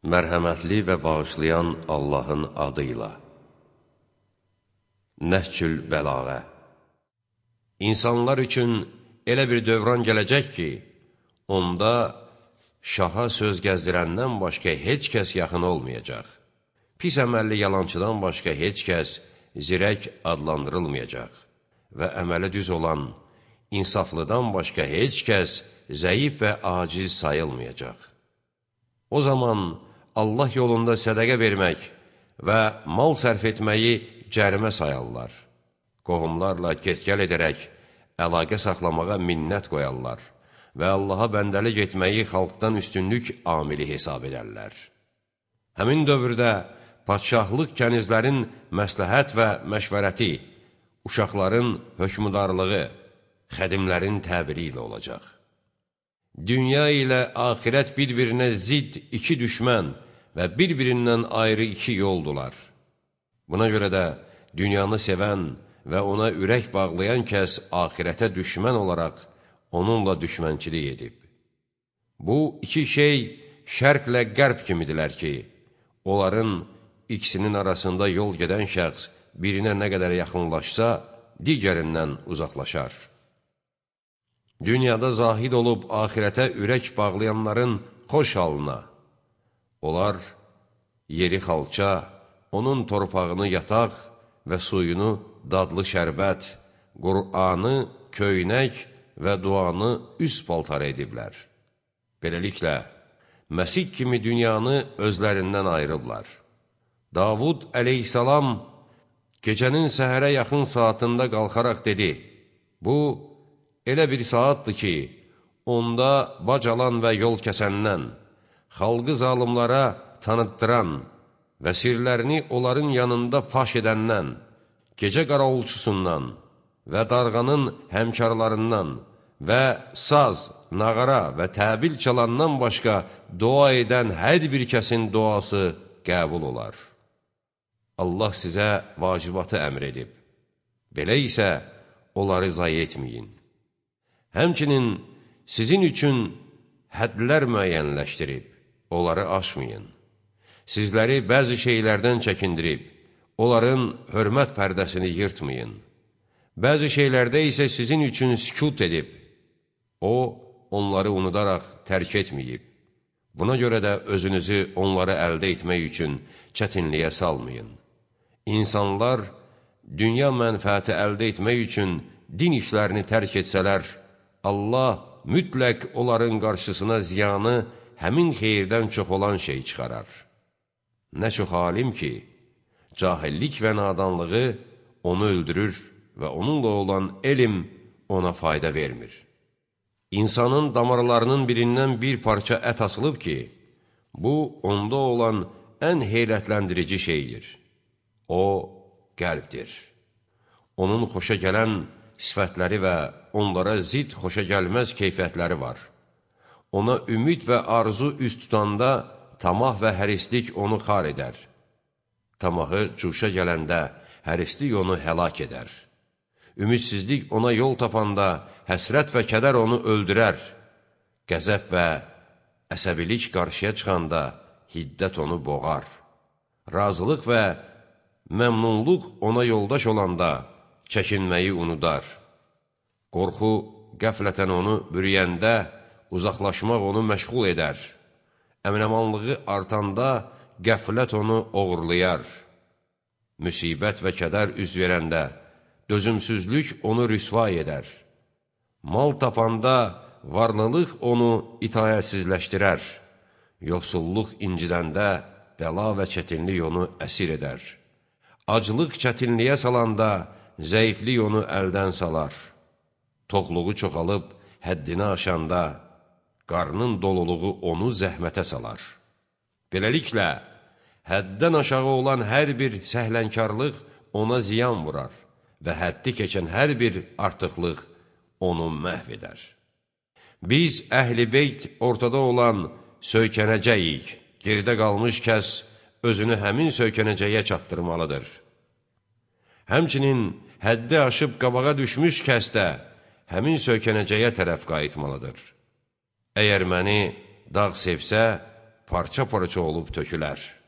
Mərhəmətli və bağışlayan Allahın adıyla. Nəhcül Bəlağə. İnsanlar üçün elə bir dövran gələcək ki, onda şaha söz gəzdirəndən başqa heç kəs yaxın olmayacaq. Pis əməlli yalançıdan başqa heç kəs zirək adlandırılmayacaq və əməli düz olan insaflıdan başqa heç kəs zəif və aciz sayılmayacaq. O zaman Allah yolunda sədəqə vermək və mal sərf etməyi cərimə sayarlar. Qohumlarla get-gəl edərək əlaqə saxlamağa minnət qoyarlar və Allaha bəndəlik etməyi xalqdan üstünlük amili hesab edərlər. Həmin dövrdə padşahlıq kənizlərin məsləhət və məşvərəti, uşaqların hökmüdarlığı, xədimlərin təbiri ilə olacaq. Dünya ilə axirət bir-birinə zidd iki düşmən və bir-birindən ayrı iki yoldular. Buna görə də dünyanı sevən və ona ürək bağlayan kəs axirətə düşmən olaraq onunla düşmənçilik edib. Bu iki şey şərqlə qərb kimidirlər ki, onların ikisinin arasında yol gedən şəxs birinə nə qədər yaxınlaşsa, digərindən uzaqlaşar. Dünyada zahid olub axirətə ürək bağlayanların xoş halına, onlar yeri xalça, onun torpağını yataq və suyunu dadlı şərbət, Qur'anı köynək və duanı üst paltar ediblər. Beləliklə, Məsih kimi dünyanı özlərindən ayırıblar. Davud əleyhissalam gecənin səhərə yaxın saatında qalxaraq dedi, bu, elə bir saatdır ki, onda bacalan və yol kəsəndən, xalqı zalımlara tanıtdıran və sirlərini onların yanında faş edəndən, gecə qaravulçusundan və darğanın həmkarlarından və saz, nağara və təbil çalandan başqa dua edən hər bir kəsin duası qəbul olar. Allah sizə vacibatı əmr edib. Belə isə onları zayi etməyin. Həmçinin sizin üçün hədlər müəyyənləşdirib, onları aşmayın. Sizləri bəzi şeylərdən çəkindirib, onların hörmət pərdəsini yırtmayın. Bəzi şeylərdə isə sizin üçün sükut edib, o, onları unudaraq tərk etməyib. Buna görə də özünüzü onları əldə etmək üçün çətinliyə salmayın. İnsanlar dünya mənfəəti əldə etmək üçün din işlərini tərk etsələr, Allah mütləq onların qarşısına ziyanı həmin xeyirdən çox olan şey çıxarar. Nə çox alim ki, cahillik və nadanlığı onu öldürür və onunla olan elm ona fayda vermir. İnsanın damarlarının birindən bir parça ət asılıb ki, bu, onda olan ən heyrətləndirici şeydir. O, qəlbdir. Onun xoşa gələn sifətləri və onlara zid xoşa gəlməz keyfiyyətləri var. Ona ümid və arzu üst tutanda tamah və hərislik onu xar edər. Tamahı cuşa gələndə hərislik onu həlak edər. Ümidsizlik ona yol tapanda həsrət və kədər onu öldürər. Qəzəb və əsəbilik qarşıya çıxanda hiddət onu boğar. Razılıq və məmnunluq ona yoldaş olanda çəkinməyi unudar. Qorxu qəflətən onu bürüyəndə uzaqlaşmaq onu məşğul edər. Əminəmanlığı artanda qəflət onu oğurlayar. Müsibət və kədər üz verəndə dözümsüzlük onu rüsvay edər. Mal tapanda varlılıq onu itayətsizləşdirər. Yoxsulluq incidəndə bəla və çətinlik onu əsir edər. Aclıq çətinliyə salanda zəiflik onu əldən salar. Toxluğu çoxalıb həddini aşanda qarnın doluluğu onu zəhmətə salar. Beləliklə, həddən aşağı olan hər bir səhlənkarlıq ona ziyan vurar və həddi keçən hər bir artıqlıq onu məhv edər. Biz, əhl-i beyt ortada olan söykənəcəyik, geridə qalmış kəs özünü həmin söykənəcəyə çatdırmalıdır. Həmçinin həddi aşıb qabağa düşmüş kəs də həmin söykənəcəyə tərəf qayıtmalıdır. Əgər məni dağ sevsə, parça-parça olub tökülər.